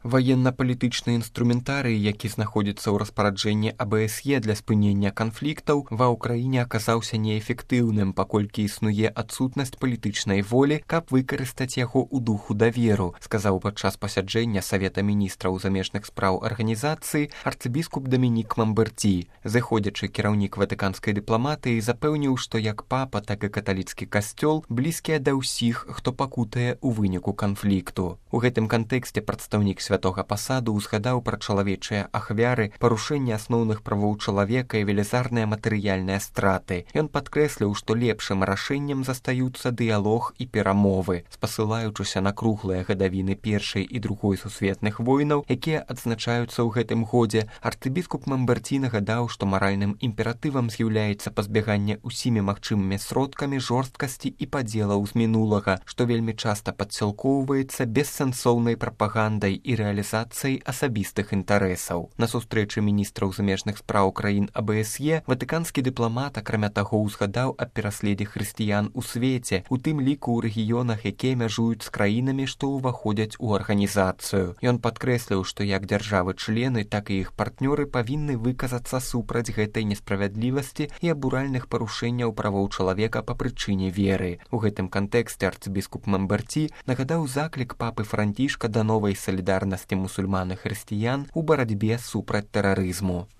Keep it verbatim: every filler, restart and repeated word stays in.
Ваенна-палітычны інструментарый, які знаходзіцца ў распараджэнні А Б С Е для спынення канфліктаў, ва ўкраіне аказаўся неэфектыўным, паколькі існуе адсутнасць палітычнай волі, каб выкарыстаць яго ў духу даверу, сказаў падчас пасяджэння Савета міністраў замежных спраў арганізацыі арцыбіскуп Дамінік Мамберці. Зыходзячы кіраўнік ватыканскай дыпламатыі запэўніў, што як папа, так і каталіцкі касцёл блізкія да ўсіх, хто пакутае ў выніку канфлікту. У гэтым кантэксце прадстаўнік святога пасаду ўзгадаў пра чалавечыя ахвяры, парушэнне асноўных правоў чалавека і велізарныя матэрыяльныя страты. Ён падкрэсліў, што лепшым рашэннем застаюцца дыялог і перамовы. Спасылаючыся на круглыя гадавіны першай і другой сусветных войнаў, якія адзначаюцца ў гэтым годзе, арцыбіскуп Мамберці нагадаў, што маральным імператывам з'яўляецца пазбяганне ўсімі магчымымі сродкамі жорсткасці і падзелаў з мінулага, што вельмі часта падсілкоўваецца бессэнсоўнай прапагандай і рэалізацыяй асабістых інтарэсаў. На сустрэчы міністраў замежных спраў краін А Б С Е ватыканскі дыпламат, акрамя таго, узгадаў аб пераследзе хрысціян у свеце, у тым ліку ў рэгіёнах, якія мяжуюць з краінамі, што ўваходзяць у арганізацыю. Ён падкрэсліў, што як дзяржавы-члены, так і іх партнёры павінны выказацца супраць гэтай несправядлівасці і абуральных парушэнняў правоў чалавека па прычыне веры. У гэтым кантэксце арцыбіскуп Мамберці нагадаў заклік папы Францішка да новай салідарнасці мусульман і хрысціян у барацьбе супраць тэрарызму.